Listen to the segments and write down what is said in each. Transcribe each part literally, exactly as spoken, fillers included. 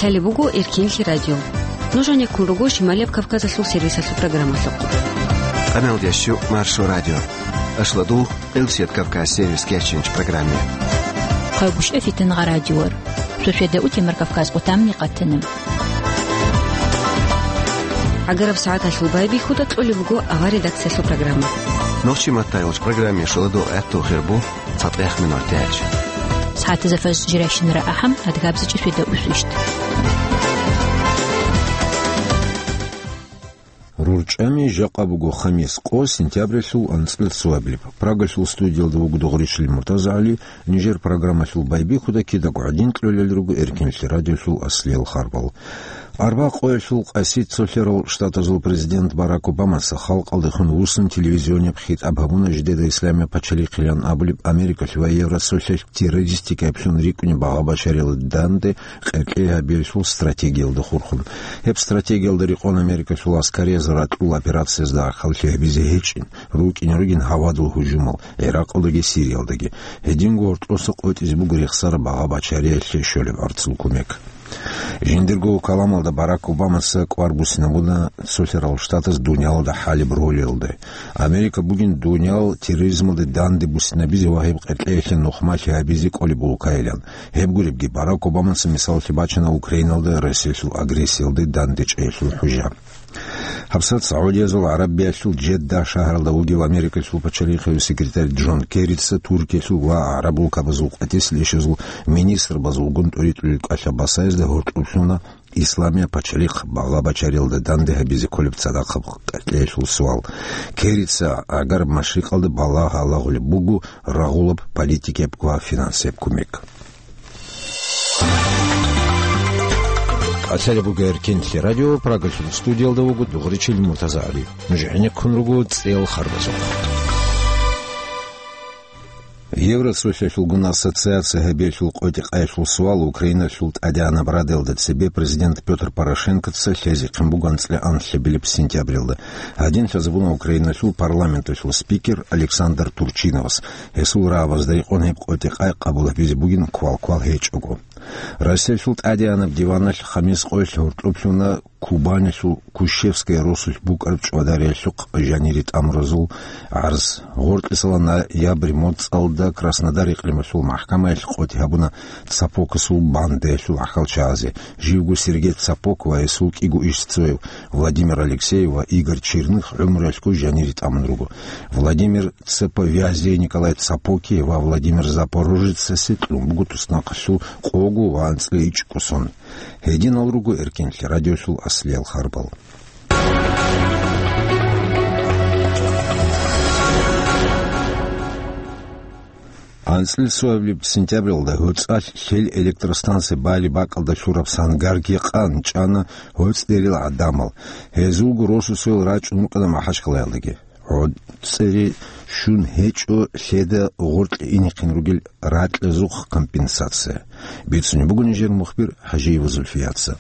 Гьале буго Эркинлъи радио. Нуж гьанеккун руго Шималияб Кавказалъул сервисалъул программалъухъ. Къамелдящу Маршо радио. Ашладул Къилсият Кавказ сервис кечинч программе. Хъайгуща фитин гъа радиор. Шошеда утимар Кавказ къутамни къатана. Агараб сагӀаталъул байбихьуда кьолеб буго авар редакциялъул программа. Нохчи маттайолч программе шуладул гӀатту хирбу. ЦатӀехъ минутач. СагӀатазда фажр жирайщинара ахӀам, адгабзичӀеб шведа усвищт. РурчӀами жакъа буго хамис къо сентябралъул анцӀил цоабилеб. Прагалъул студиялда вуго Дугъричил МуртазагӀали, нижер программалъул байбихьуда кидаго гӀадин кьолел руго Эркинлъи радиолъул аслиял харбал. Арба къоялъул къаси цолъарал штатазул президент Барак Обамаца халкъалдехун вуссун телевизионияб хитӀаб гьабуна жидеда исламияб пачалихъилан абулеб Америкалъ ва Евросоюзалъ террористикаблъун рикӀкӀунеб багъа-бачариял данде къеркьей гьабиялъул стратегиялда хурхун. Гьеб стратегиялда рекъон Америкалъул аскарияз ракьул операциязда гӀахьаллъи гьабизе гьечӀин, рукӀине ругин гьавадул гьужумал ГӀиракъалдаги Сириялдаги. Гьединго гьоркьоса къотӀизе буго рехсараб багъа-бачариялъе щолеб гӀарцул кумек. Жиндирго каламалда Барак Обамаца кӀвар буссинабуна цолъарал штатаз дуниялалда хӀалеб ролиялда. Америка бугин дуниял терроризмалде данде буссинабизе ва гьеб къеркьеялъе нухмалъи гьабизе кӀолеб улкайилан. Гьеб гуребги, Барак Обамаца мисаллъи бачана Украиналда Россиялъул агрессиялде данде чӀеялъул хӀужа. ГьабсагӀат СагӀудиязул ГӀарабиялъул Жедда шагьаралда вугев Америкалъул пачалихъив секретарь Джон Керрица Туркиялъул ва гӀараб улкабазул къватӀисел ишазул министрбазулгун тӀуритӀулел кӀалъа-басаязда гьоркьоб лъуна исламияб пачалихъ багъа-бачариялда данде гьабизе кколеб цадахъаб къеркьеялъул суал. Керрица Гьагар Машрикъалда балагь гьалагъулеб буго рагъулаб политикияб ва финансияб кумек. Къалъалеб буго Эркинлъи радио, Прагалъул студиялда вуго Дугъричил МуртазагӀали. Нуж гӀенеккун руго цӀел харбазухъ. Евросоюзалъулгун ассоциация гьабиялъул къотӀи-къайилъул суал Украиналъул тӀадегӀанаб радалда цебе президент Пётр Порошенкоца лъезехъин буго анцӀила анлъабилеб сентябрилда. Гьадин лъазабуна Украиналъул парламенталъул спикер Александр Турчиновас. Гьесул рагӀабазда рекъон гьеб къотӀи-къай къабул гьабизе бугин квал-квал гьечӀого. Россиялъул тӀадегӀанаб диваналъ хамис къоялъ гьоркьоб лъуна Кубанилъул Кущевская росулъ букӀараб чӀвадариялъухъ жанире тӀамуразул гӀарз. Гъоркьисала ноябрь моцӀалда Краснодар икълималъул махӀкамаялъ къотӀи гьабуна Цапокасул бандаялъул гӀахьалчагӀазе, живго Сергей Цапок ва гьесул кӀиго ишцояв Владимир Алексеев ва Игорь Черных гӀумруялъго жанире тӀамун руго. Владимир Цеповязе, Николай Цапоке ва Владимир Запорожецасе кьун буго туснахъалъул къого ва анцӀила ичӀго сон. Гьединал руго Эркинлъи радиолъул аслиял харбал. АнцӀила цоабилеб сентябралда гьоцӀалъ лъел электростанция балеб бакӀалда лъураб сангарги къан чӀана гьоцӀдерил гӀадамал. Гьезулго росусел рачӀун рукӀана МахӀачкъалаялдаги. ГьоцӀери щун гьечӀо лъеда гъоркье инехъин ругел ракьазухъ компенсация. Бицунеб буго нижер мухбир ХӀажиева Зульфияца.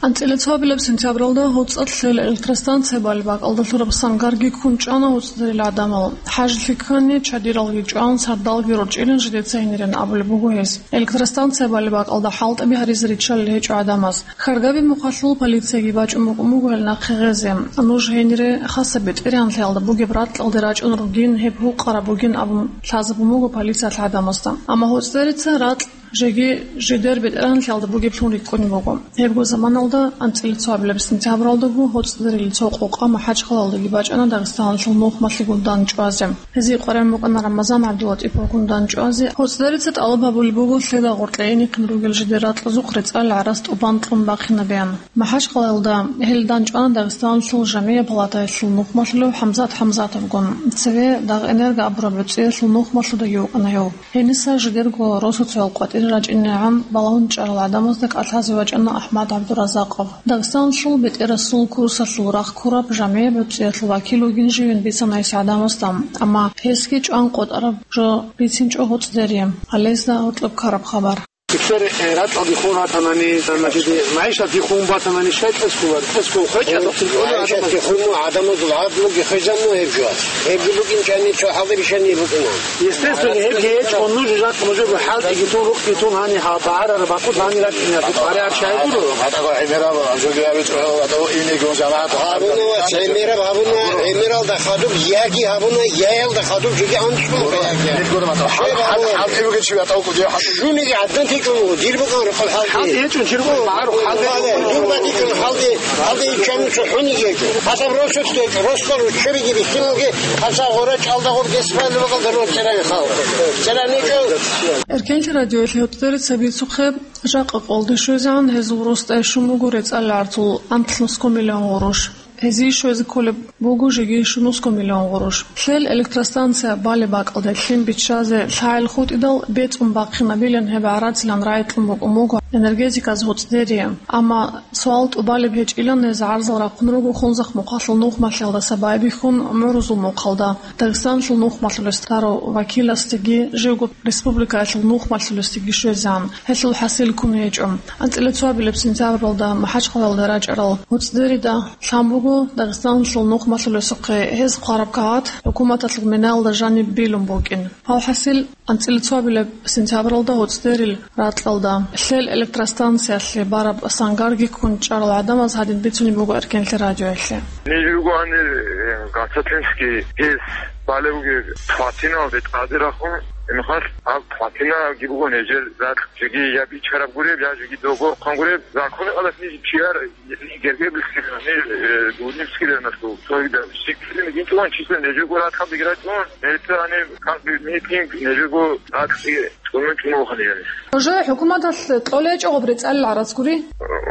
АнцӀила цоабилеб сентябралда гьоцӀалъ лъел электростанция балеб бакӀалда лъураб сангарги ккун чӀана гьоцӀдерил гӀадамал. ХӀажлъи ккани, чадиралги чӀван, сардалги рорчӀилин жидеца гьенирин абулеб буго гьес. Электростанция балеб бакӀалда хӀалтӀаби гьаризе риччалел гьечӀо гӀадамаз. Хьаргаби мухъалъул полицияги бачӀун букӀун буго гьел нахъе гъезе. Нуж гьенире хасаб бетӀергьанлъиялда бугеб ракьалде рачӀун ругин, гьеб гьукъараб бугин абун лъазабун буго полициялъ гӀадамазда. Амма гьоцӀдерица ракь жеги жидер бетӀергьанлъиялда бугеблъун рикӀкӀунеб буго. Гьебго заманалда, анцӀила цоабилеб сентябралдаго, гьоцӀдерил цо къокъа МахӀачкъалаялдаги бачӀана Дагъистаналъул нухмалъигун дандчӀвазе. Гьезие къваригӀун букӀана Рамазан ГӀабдулатӀиповгун дандчӀвазе. ГьоцӀдерица тӀалаб гьабулеб буго лъеда гъоркье инехъин ругел жидер ракьазухъ рецӀал гӀарац тӀубан кьун бахъинабеян. МахӀачкъалаялда гьел дандчӀвана Дагъистаналъул жамгӀияб палатаялъул нухмалъулев ХӀамзат ХӀамзатовгун. Цеве Дагъэнерго абураб гӀуцӀиялъул нухмалъулдаги вукӀана гьев. Гьениса жидерго росуцоял къватӀире рачӀинегӀан балагьун чӀарал гӀадамазда кӀалъазе вачӀана АхӀмад ГӀабдуразакъов. Дагъистаналъул бетӀерасул курсалъул рахъ ккураб жамгӀияб гӀуцӀиялъул вакил вугин живин бицана гьес гӀадамазда, амма гьесги чӀван къотӀараб жо бицинчӀо гьоцӀдери. Гьалезда гьоркьоб ккараб хабар. ГьебсагӀат, э, ракьалде хун ратанани, гьанже магӀишаталде хун батанани, щай кьес ккола? Кьес ккола, хвечӀеб гӀадамаз. МагӀишаталде хун гӀадамазул гӀадлуги хвезабун гьеб жо. Гьебги букӀин чӀани цо хӀалбищани букӀина. Естественно, гьебги гьечӀо, нуж жакъа нужего хӀалтӀиги тун, рукъги тун, гьаниб гьаб багӀарараб бакӀалда гьаниб рачӀине гьаб къаригӀараб щай гуро? ГьатӀаго гӀемераб жо гьабичӀо, гьатӀаго инеги жамагӀат гьабуна ва гӀемераб гьабуна, гӀемералда хадуб яги гьабуна, яялда хадуб жеги анцӀго яги. Гьеб гьабуна. ХӀал-, хӀалтӀи бугев чи гьатӀаго кӀудияв хӀалтӀи. Жуниги гӀадин течӀун, дир букӀун рукъал хӀалтӀи. ХӀалтӀи гьечӀун, чиргъо гьару хӀалтӀи. Дир букӀун хӀалтӀи, хӀалтӀи ичӀанин цо хӀуниги гьечӀо. Гьасаб росулъ течӀо, росдал руччабиги бихьиналги, гьасаб гъора чӀалдагъуб десфали вакъалда рос церани халкъ. Церани чӀо. Эркенлъи радиоялъе гьуцӀдери цебицухъе, жакъа къолде щвезегӀан гьезул рос тӀайщун буго рецӀаларцул анлънусго миллион гъурущ. Гьезие щвезе кколеб буго жеги щунусго миллион гъурущ. Лъел электростанция балеб бакӀалде лъим биччазе лъагӀел хутӀидал бецӀун бахъинабилан гьеб гӀарацилан рагӀи кьун букӀун буго энергетиказ гьуцӀдерие. Амма суал тӀубалеб гьечӀилан гьез гӀарзал рахъун руго Хунзахъ мухъалъул нухмалъиялдаса байбихьун ГӀумрузул мухъалда, Дагъистаналъул нухмалъулес тарав вакиласдеги живго республикаялъул нухмалъулесдеги щвезегӀан. Гьелъул хӀасил ккун гьечӀо. АнцӀила цоабилеб сентябралда МахӀачхъалаялда рачӀарал гьуцӀдерида лъан буго Дагъистаналъул нухмалъулесухъе гьез хъвараб кагъат хӀукуматалъул минаялда жаниб билун букӀин. Гьав хӀасил анцӀила цоабилеб сентябралда гьуцӀдерил ракьалда лъел электростанциялъе бараб сангарги ккун чӀарал гӀадамаз гьадин бицунеб буго Эркенлъи радиоялъе. Ниж руго гьанир, э, Гацатинский гьез балев бугеб плотиналде тӀаде рахун, гьебмехалъ гьаб плотинаги буго нижер ракь, жеги я бичараб гуреб, я жеги дого хъван гуреб, законалда ниж чияр гергерлъи, ниж, э, гурнибскиларнасул цогидаб сиккилин гинтӀун числен нижего ракьалдеги рачӀун, гьелъа гьаниб как бы митинг нижего ракьги чӀунун чӀунухъан гьаниб. Уже хӀукуматалъ кьолечӀо гъоб рецӀалил гӀарац гури?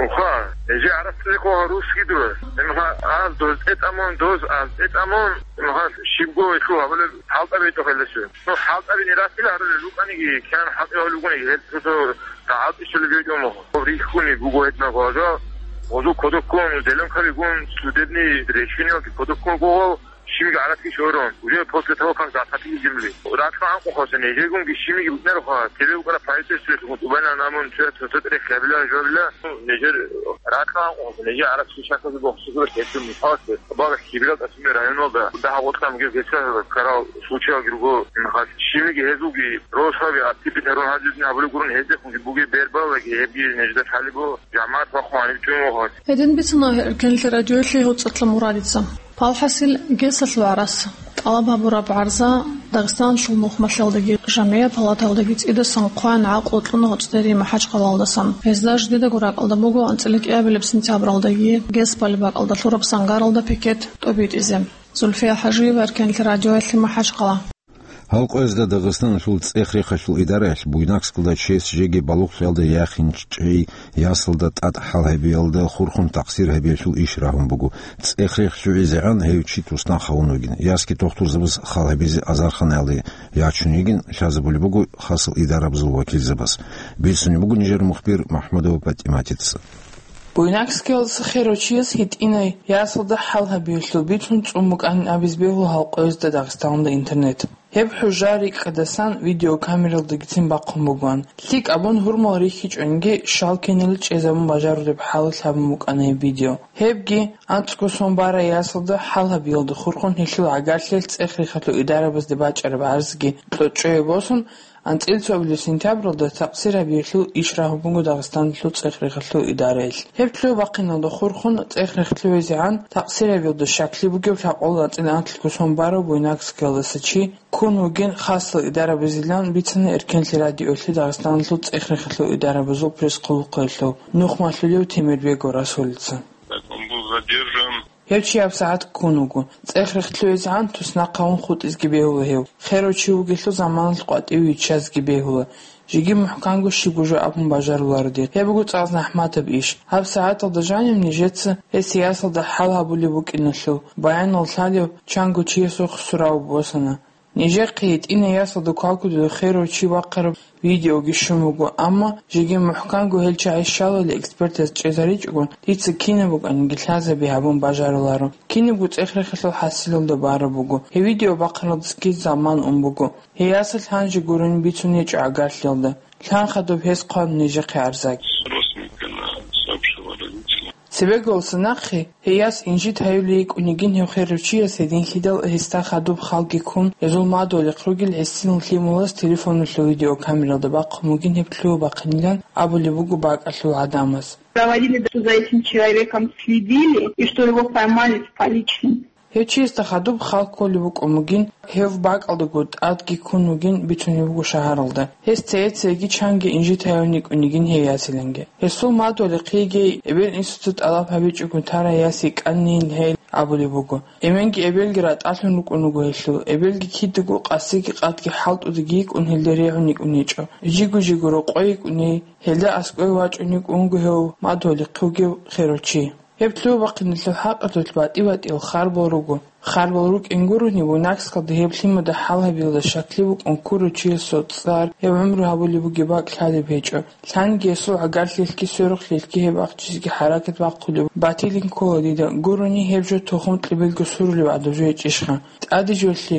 Уха, нижер гӀарац цӀикӀкӀун русскидур. Гьебмехалъ аз доз тӀетӀамун, доз аз тӀетӀамун, гьебмехалъ щибго гьелъул гьабулеб хӀалтӀаби гьечӀо гьелдаса. Ну, хӀалтӀаби нирасила гьарулел рукӀаниги, кигӀан хӀалтӀи гьавулел рукӀаниги, гьел цо-цо рагӀалтӀи щолеб гьечӀо мухь. Гьоб рихьуни буго гьединаб гьажа, гъозул кодоб ккун, зеленкабигун, судебный решениялги кодоб ккун буго, щибиги гӀарацги щорун. Уже после того, как закатили земли. Ракьа анкъухъасе нижегунги щибиги букӀанароха, тебе букӀараб правительствоялъухъ тӀубанилан амун цо-цо рехъ гьабилан жо гьабила. Ну, нижер ракьа анкъухъасе, нижер гӀарацги шахьазе бохсузулеб гьечӀо мисалалъе. Багъа Хибирал Касумия районалда дагьаб-бокьараб гьесар ккарал случаялги руго, гьебмехалъ щибиги гьезулги росаби аттиб бетарун гьадин гьабулеб гурун, гьездехунги бугеб бербалаги гьебги нижеда лъалеб буго, жамагӀат бахъун гьаниб чӀун вугьалъ. Гьедин бицуна Эркенлъи радиоялъе гьуцӀалъа Мурадица. Палхасил гесалъул гӀарац тӀалаб гьабураб гӀарза Дагъистаналъул нухмалъиялдаги жамгӀият палатаялдаги цӀидасан хъван гӀакълу кьуна гьуцӀдери МахӀачхъалаялдасан. Гьезда жидедаго ракьалда буго анцӀила кӀиабилеб сентябралдаги гес балеб бакӀалда лъураб сангаралда пикет тӀобитӀизе. Зульфия ХӀажиева, Эркенлъи радиоялъе, МахӀачхъала. Гьалкъоязда Дагъистаналъул цӀех-рехалъул идараялъ Буйнакскалда чияс жеги балугълъиялда яхинчӀей ясалда тӀад хӀал гьабиялда хурхун такъсир гьабиялъул иш рагьун буго. ЦӀех-рех лъугӀизегӀан гьев чи туснахъ гьавун вугин. Ясги тухтурзабаз хал гьабизе азарханаялде ячун йигин лъазабулеб буго хасал идарабазул вакилзабаз. Бицунеб буго нижер мухбир МахӀмудова ПатӀиматица. Буйнакскиялдаса херав чияс гьитӀинай ясалда хӀал гьабиялъул бицун цӀун букӀанин абизе бегьула гьалкъоязда Дагъистаналда интернет. Гьеб хӀужа рикӀкӀадасан видеокамералдагицин бахъун бугоан. ЛъикӀ абун гьурмал рихьичӀониги, щал киналги чӀезабун бажарулеб хӀалалъ гьабун букӀана гьеб видео. Гьебги, анцӀго сон барай ясалда хӀал гьабиялда хурхун гьелъул гӀагарлъиялъ цӀех-рехалъул идарабазде бачӀараб гӀарзги кьочӀое босун, анцӀила цоабилеб сентябралда такъсир гьабиялъул иш рагьун буго Дагъистаналъул цӀех-рехалъул идараялъ. Гьеб лъугьа-бахъиналда хурхун цӀех-рех лъугӀизегӀан такъсир гьабиялда щаклъи бугев лъабкъоялда анцӀила анлъго сон барав буйнакскиялдаса чи ккун вугин хасал идарабазилан бицана Эркенлъи радиоялъе Дагъистаналъул цӀех-рехалъул идарабазул пресс-хъулухъалъув нухмалъулев Темирбегов Расулица. Так он был задержан. Гьев чи гьабсагӀат ккун вуго. ЦӀех-рех лъугӀизегӀан туснахъ гьавун хутӀизеги бегьула гьев. Херав чи вугелъул заманалъ къватӀиве виччазеги бегьула. Жеги мухӀканго щибго жо абун бажаруларо дир. Гьеб буго цӀакъ захӀматаб иш. ГьабсагӀаталда жанив нижеца гьес ясалда хӀал гьабулеб букӀиналъул баянал лъалев чанго чиясухъ сурав босана. Нижехъе гьитӀинай ясалда квалкудулев херав чи бахъараб видеоги щун буго, амма жеги мухӀканго гьел чагӀи щалали экспертаз чӀезаричӀого, дица кинаб букӀаниги лъазаби гьабун бажаруларо. Кинабго цӀех-рехалъул хӀасилалда бараб буго. Гьеб видео бахъаралдасаги заман ун буго. Гьей ясалъ гьанже гурони бицун гьечӀо гӀагарлъиялда. Лъан хадуб гьес хъван нижехъе арзаги. Родственникам сообщила, родителям. Цебеголса нахъе гьей яс инжит гьаюлей йикӀун йигин гьев херав чияс гьединлъидал гьесда хадуб халги ккун, гьезул мадугьалихъ ругел гӀисинал лъималаз телефоналъул видеокамералда бахъун бугин гьеб лъугьа-бахъинилан абулеб буго бакӀалъул гӀадамаз. Проводили, что за этим человеком следили, и что его поймали с поличным. Гьев чиясда хадуб хал кколеб букӀун бугин, гьев бакӀалдаго тӀадги ккун вугин бицунеб буго шагьаралда. Гьес цее-цееги чанги инжит гьаюн йикӀун йигин гьей ясиланги. Гьесул мадугьалихъеги эбел-инсуца тӀалаб гьабичӀого тарай яс йикӀанин гьей абулеб буго. Эменги эбелги ратӀалъун рукӀун руго гьелъул, эбелги кидаго къасиги къадги хӀалтӀудаги йикӀун гьелде регӀун йикӀун гьечӀо. Жиго-жиго рокъой йикӀун гьей, гьелда аскӀове вачӀун йикӀун вуго гьев мадугьалихъе вугев херав чи. Гьеб лъугьа-бахъиналъул хӀакъалъулъ батӀи-батӀиял харбал руго. Харбал рукӀин гурони, Буйнакскалда гьеб лъимада хӀал гьабиялда щаклъи букӀун ккурав чиясул цӀар, гьев гӀумру гьабулеб бугеб бакӀ лъалеб гьечӀо. Лъанги гьесул гӀагарлъилъги сверухълъилъги гьеб ахчизеги хӀаракат бахъулеб батилин ккола дида, гурони гьеб жо тухум кьибилго сурулеб гӀадаб жо гьечӀищха. ТӀаде жолъи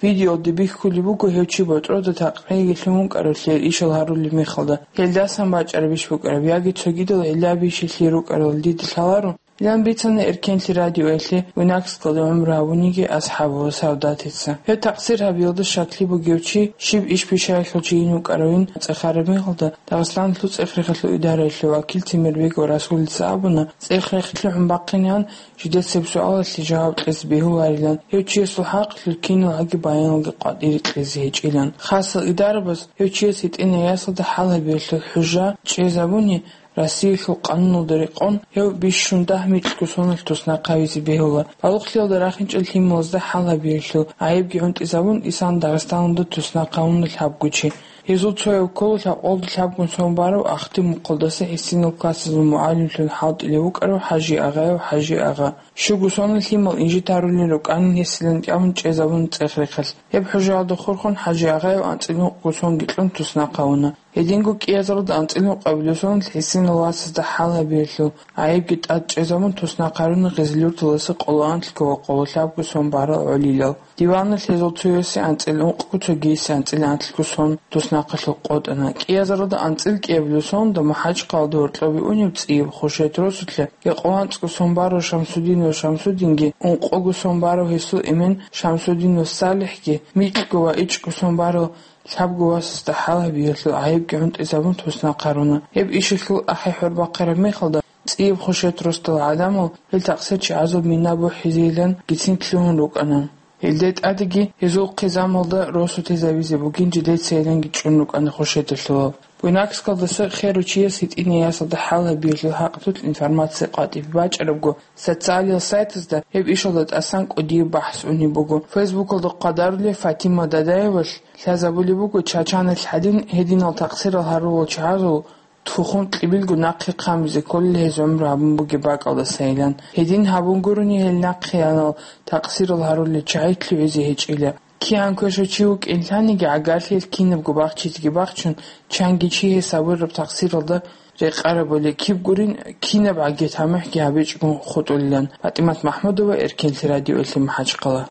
Видеоялда бихьулеб буго гьев чи ботӀрода такъриги лъун вукӀаравлъи ишал гьарулеб мехалда, гьелдасан бачӀарабищ букӀараб яги цогидал гӀиллаби-щилъи рукӀарал дида лъаларо. Гьелан бицана Эркенлъи радиоялъе Буйнакскалда гӀумру гьабуниги асхӀаб ва Савдатица. Гьев такъсир гьабиялда щаклъи бугев чи, щиб иш-пишаялъул чийин вукӀаравин цӀехараб мехалда, Дагъистаналъул цӀех-рехалъул идараялъул вакил Темирбеков Расулица абуна, цӀех-рехалъухъ бахъинегӀан, жидецаб суалалъе жаваб кьезе бегьуларилан, гьев чиясул хӀакъалъулъ киналгӀаги баяналги къватӀире кьезе гьечӀилан. Хасал идарабаз гьев чияс гьитӀинай ясалда хӀал гьабиялъул хӀужа чӀезабуни, Россиялъул къануналда рекъон, гьев бищун дагь микьго соналъ туснахъ гьавизе бегьула. Балугълъиялда рахинчӀел лъималазда хӀал гьабиялъул гӀайибги гӀунтӀизабун, исан Дагъистаналда туснахъ гьавуна лъабго чи. Гьезул цояв ккола лъабкъоялда лъабгун сон барав ахтимухъалдаса гӀисинал классазул мугӀалимлъун хӀалтӀулев вукӀарав ХӀажи-агъаяв ХӀажи-агъа. Щуго соналъ лъимал инжит гьарулел рукӀанин гьесилан тӀамун чӀезабуна цӀех-рехалъ. Гьеб хӀужаялда хурхун ХӀажи-агъаяв анцӀила ункъго сонги кьун туснахъ гьавуна. Гьединго кӀиазаралда анцӀила ункъабилеб соналъ гӀисинал классазда хӀал гьабиялъул гӀайибги тӀад чӀезабун туснахъ гьаруна Гъизлюрталдаса къоло анлъго ва къоло лъабго сон барал гӀолилал. Диваналъ гьезул цоясе анцӀила ункъго, цогиясе анцӀила анлъго сон туснахъалъухъ къотӀана. КӀиазаралда анцӀила кӀиабилеб сонда МахӀачхъалада гьоркьобе унеб цӀияб Хушет росулъа, гьекъо анцӀго сон барав Шамсудинов Шамсудинги, ункъого сон барав гьесул эмен Шамсудинов СалихӀги, микьго ва ичӀго сон барав лъабго васасда хӀал гьабиялъул гӀайибги гӀунтӀизабун туснахъ гьаруна. Гьеб ишалъул ахӀи-хӀор бахъараб мехалда, цӀияб Хушет росдал гӀадамал гьел такъсирчагӀазул мина бухӀизейилан гицин лъугьун рукӀана. Гьелде тӀадеги гьезул хъизамалда росулъ гьезабизе бугин жидецайиланги чӀун рукӀана Хушеталъулал. Буйнакскалдаса херав чияс гьитӀинай ясалда хӀал гьабиялъул хӀакъалъулъ информация къватӀибе бачӀарабго, социалиял сайтазда гьеб ишалда тӀасан кӀудияб бахӀс унеб буго. Фейсбукалда хъвадарулев Фатима Дадаевалъ лъазабулеб буго, Чачаналъ гьадин гьединал такъсирал гьарулел чагӀазул тухум кьибилго нахъе хъамизе кколел гьез гӀумру гьабун бугеб бакӀалдасайилан. Гьедин гьабун гурони гьел нахъеянал такъсирал гьарулел чагӀи лъугӀизе гьечӀила. КигӀан квешав чи вукӀин лъаниги, гӀагарлъиялъ кинабго бахчизеги бахчун, чанги чи гьесабураб такъсиралда рекъарабули, киб гурин, кинабгӀаги тамихӀги гьабичӀого хутӀулилан. ПатӀимат МахӀмудова, Эркенлъи радиоялъе, МахӀачхъала.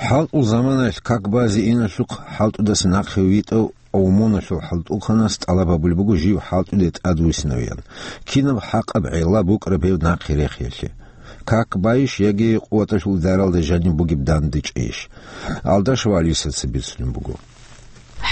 ХӀалтӀул заманаялъ как базе иналъухъ хӀалтӀудаса нахъе витӀав ОМОНалъул хӀалтӀухъанас тӀалаб гьабулеб буго жив хӀалтӀуде тӀадвуссинавиялъ. Кинаб хӀакъаб гӀелла букӀараб гьев нахъе рехиялъе? Как байищ яги къуваталъул даралда жаниб бугеб дандечӀейищ? Алдашев Алисаца бицунеб буго.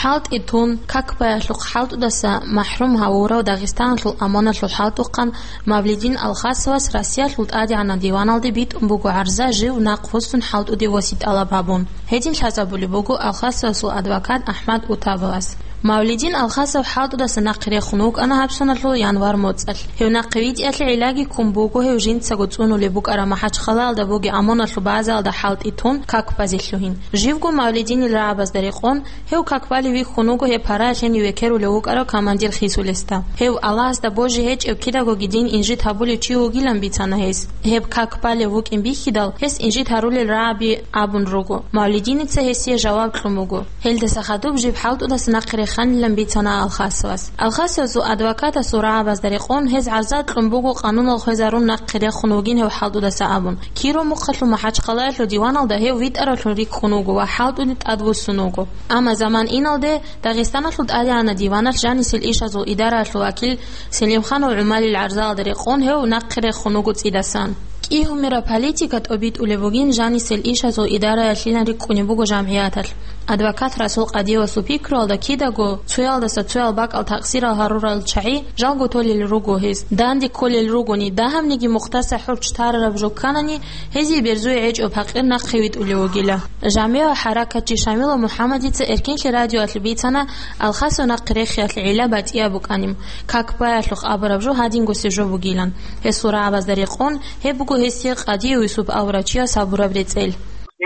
ХӀалтӀи тун, как баялъухъ хӀалтӀудаса махӀрум гьавурав Дагъистаналъул ОМОНалъул хӀалтӀухъан Мавлидин Алхасовас Россиялъул ТӀадегӀанав диваналде битӀун буго гӀарза жив нахъ вуссун хӀалтӀуде восе тӀалаб гьабун. Гьедин лъазабулеб буго Алхасовасул адвокат АхӀмад Утабовас. Мавлидин Алхасов ХӀалтӀудаса нахъе рехун вукӀана гьаб соналъул январ моцӀалъ. Гьев нахъе витӀиялъе гӀиллаги ккун буго гьев жинцаго цӀунулеб букӀараб МахӀачхъалаялда бугеб ОМОНалъул базаялда хӀалтӀи тун как базе лъугьин. Живго Мавлидинил рагӀабазда рекъон, гьев как балев вихьун вуго гьеб параялъ гьенив векерулев вукӀарав командир хисулесда. Гьев Аллагьасда божи гьечӀев кидагоги дин инжит гьабулев чи вугилан бицана гьес. Гьеб как балев вукӀин бихьидал, гьес инжит гьарулел рагӀаби абун руго. Мавлидиница гьесие жаваб кьун буго. Гьелдаса хадуб жиб ХӀалтӀудаса нахъе реханилан бицана Алхасовас. Алхасовасул адвокатасул рагӀабазда рекъон гьез гӀарза кьун буго къануналъ хвезарун нахъе рехун вугин гьев ХӀалтӀудаса абун. Киров мухъалъул МахӀачхъалаялъул диваналда гьев витӀаравлъун рикӀкӀун вуго ва ХӀалтӀуде тӀадвуссун вуго. Амма заман иналде Дагъистаналъул ТӀадегӀанаб диваналъ жанисел ишазул идараялъул вакил Селимханов ГӀумалил гӀарзаялда рекъон гьев нахъе рехун вуго цӀидасан. КӀигьумира политика тӀобитӀулеб бугин жанисел ишазул идараялъилан рикӀкӀунеб буго жамгӀияталъ. Адвокат Расул Къадиевасул пикруялда кидаго цоялдаса цоял бакӀал такъсирал гьарурал чагӀи жалго толел руго гьез. Данде кколел ругони, дагьабниги мухъдаса хӀурч тарараб жо кканани, гьезие берзуе гьечӀо пакъир нахъе витӀулев вугила. ЖамгӀи ва хӀаракатчи Шамилов МухӀаммадица Эркенлъи радиоялъе бицана Алхасов нахъе рехиялъе гӀилла батӀияб букӀанин, как баялъухъ абураб жо гьадингосеб жо бугилан. Гьесул рагӀабазда рекъон, гьеб буго гьесие Къадиев Юсуп абурав чияс гьабураб рецӀел.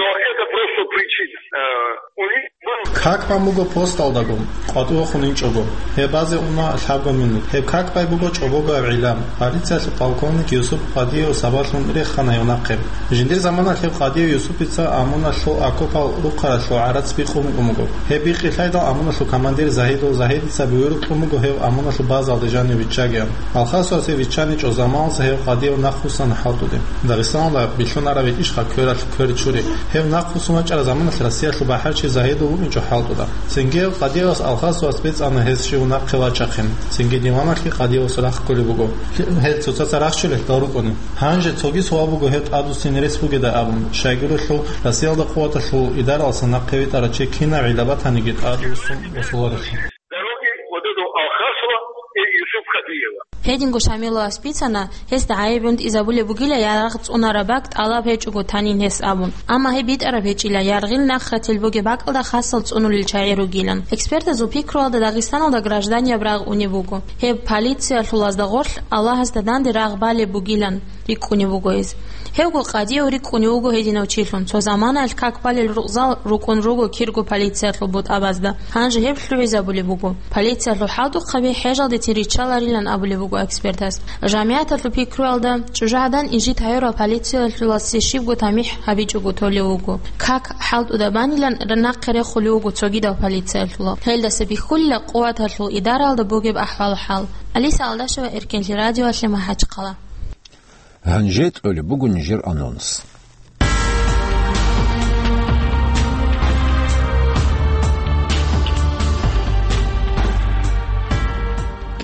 Но это просто причина. Э, у них был Как бан буго посталдаго, къватӀивахун инчӀого. Гьеб базе уна лъабго минут. Гьеб как бай буго чӀобогояб гӀилла. Полициялъул полковник Юсуп Къадиев сабаблъун рехана гьев нахъе. Жиндир заманалъ гьев Къадиев Юсупица ОМОНалъул окопал рухъаралъул гӀарац бикъун букӀун буго. Гьеб бикъи лъайдал ОМОНалъул командир Загьидул Загьидица буюркь кьун буго гьев ОМОНалъул базалде жанив виччагиян. Алхасовасе виччаничӀо заманалъ гьев Къадиев нахъвуссана ХӀалтӀуде. Дагъистаналда билълъунараб гьечӀищха квералъ квер чури. Гьев нахъвуссун вачӀараб заманалъ Россиялъул бахӀарчи Загьидов вукӀинчӀо ХӀалтӀуда. Цинги гьев Къадиевас Алхасовас бицана гьес щив нахъе вачахъин. Цинги диваналъги Къадиевас рахъ кколеб буго. Гьел цоцаца рахчулелъ дал рукӀуна. Гьанже цоги суал буго гьев тӀадвуссине рес бугедай абун, щайгурелъул Россиялда къуваталъул идаралъа нахъе витӀарав чи кинаб гӀилла батаниги тӀадвуссун босуларелъул. Дороги вот этого Алхасова и Юсуп Хадиева. Гьединго Шамиловас бицана, гьесда гӀайиб гӀунтӀизабулеб бугила ярагъ цӀунараб бакӀ тӀалаб гьечӀого танин гьес абун. Амма гьеб битӀараб гьечӀила, яргъил нахъ ратил бугеб бакӀалда хасал цӀунулел чагӀи ругилан. Экспертазул пикруялда Дагъистаналда гражданияб рагъ унеб буго. Гьеб полициялъулазда гъорлъ Аллагьасда данде рагъ балеб бугилан рикӀкӀунев вуго гьез. Гьевго Къадиев рикӀкӀунев вуго гьединав чилъун, цо заманаялъ как балел рукъзал рукӀун руго кирго полициялъул бутӀабазда. Гьанже гьеб лъугӀизабулеб буго. Полициялъул хӀалтӀухъаби хӀежалдецин риччаларилан абулеб буго экспертас. ЖамгӀияталъул пикруялда, чӀужугӀадан инжит гьаюрал полициялъуласе щибго тамихӀ гьабичӀого толев вуго. Как хӀалтӀуда банилан нахъе рехулев вуго цогидал полициялъула. Гьелдаса бихьулила къуваталъул идаралда бугеб ахӀвал-хӀал. Алиса Алдашева, Эркенлъи радиоялъе, МахӀачхъала. Гьанже кьолеб буго нижер анонс.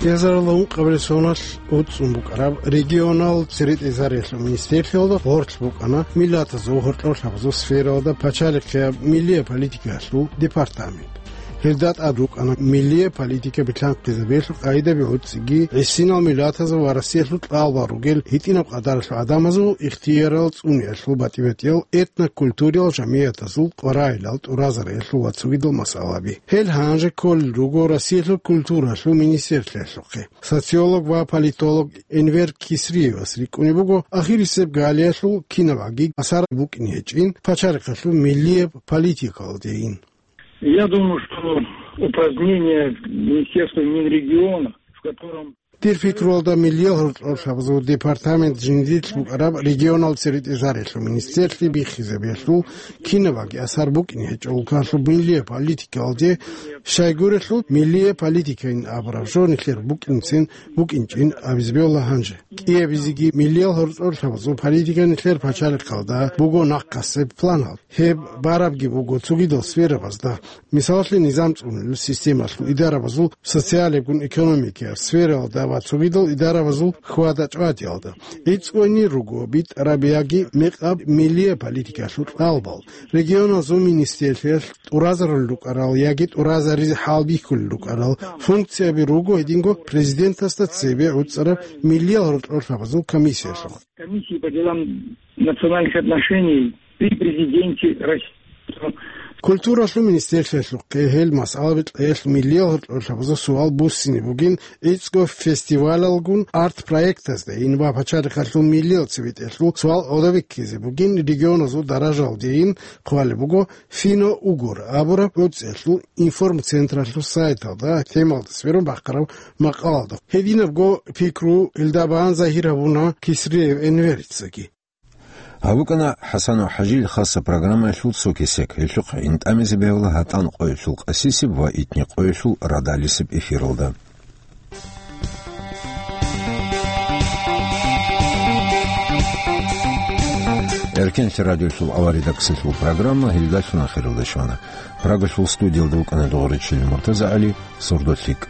КӀиазарилан ункъабилеб соналъ уцӀцӀун букӀараб регионал церетӀезариялъул министерствоялда гъорлъ букӀана миллатазул гьоркьорлъабазул сфералда пачалихъияб миллияб политикаялъул департамент. Гьелда тӀад рукӀана миллияб политика билъанхъизабиялъул къагӀидаби гӀуцӀиги, гӀисинал миллатазул ва Россиялъул кьалбал ругел гьитӀинаб къадаралъул гӀадамазул ихтиярал цӀуниялъул батӀи-батӀиял этнокультуриял жамгӀиятазул къваригӀелал тӀуразариялъул ва цогидал масъалаби. Гьел гьанже кколел руго Россиялъул культуралъул министерствоялъухъе. Социолог ва политолог Энвер Кисриевас рикӀкӀунеб буго ахирисеб галиялъул кинабгӀаги асар букӀине гьечӀин пачалихъалъул миллияб политикалдейин. Я думаю, что упразднение Министерства Минрегиона, в котором Дир пикруялда, миллиял гьоркьорлъабазул департамент жиндилъ букӀараб регионал церетӀезариялъул министерстве биххизабиялъул кинабгӀаги асар букӀине гьечӀо улкалъул миллияб политикалде, щайгурелъул миллияб политикайин абураб жо нилъер букӀинцин букӀинчӀин абизабиялла гьанже. КӀиабизеги миллиял гьоркьорлъабазул политика нилъер пачалихъалда буго нахъасеб планал. Гьеб барабги буго цогидал сферабазда, мисалалъе, низам цӀунулел системалъул идарабазул, социалебгун экономикияб сфералда ва цогидал идарабазул хьвада-чӀвадиялда. ГӀицӀкӀунел руго битӀараб яги мекъаб миллияб политикалъул кьалбал, регионазул министерствоялъ тӀуразарулел рукӀарал яги тӀуразаризе хӀалбихьулел рукӀарал функцияби руго гьединго президентасда цебе гӀуцӀараб миллиял гьоркьорлъабазул комиссиялъухъ. Комиссии по делам национальных отношений при президенте России. Культуралъул министерствоялъухъе гьел масъалаби кьеялъ миллиял гьоркьоб лъабазул суал буссине бугин, гӀицӀго фестивалалгун арт-проектазда, ин ва пачалихъалъул миллиял цебетӀелъул суал гӀодобиккизе бугин, регионазул даражалдейин хъвалеб буго «Фино-угор» абураб гӀуцӀиялъул информцентралъул сайталда темалда сверун бахъараб макъалалда. Гьединабго пикру илда бан загьир гьабуна Кисриев Энверицаги. Гьаб букӀана ХӀасанов ХӀажил хаса программаялъул цо кесек. Гьелъухъ гӀин тӀамизе бегьула гьатӀан къоялъул къасисеб ва итни къоялъул радалисеб эфиралда. Эркенлъи радиолъул аваридаксалъул программа гьелдалъун ахиралда щвана. Прагалъул студиялда вукӀана Догъоричилин МуртазагӀали, сордолъикӀ.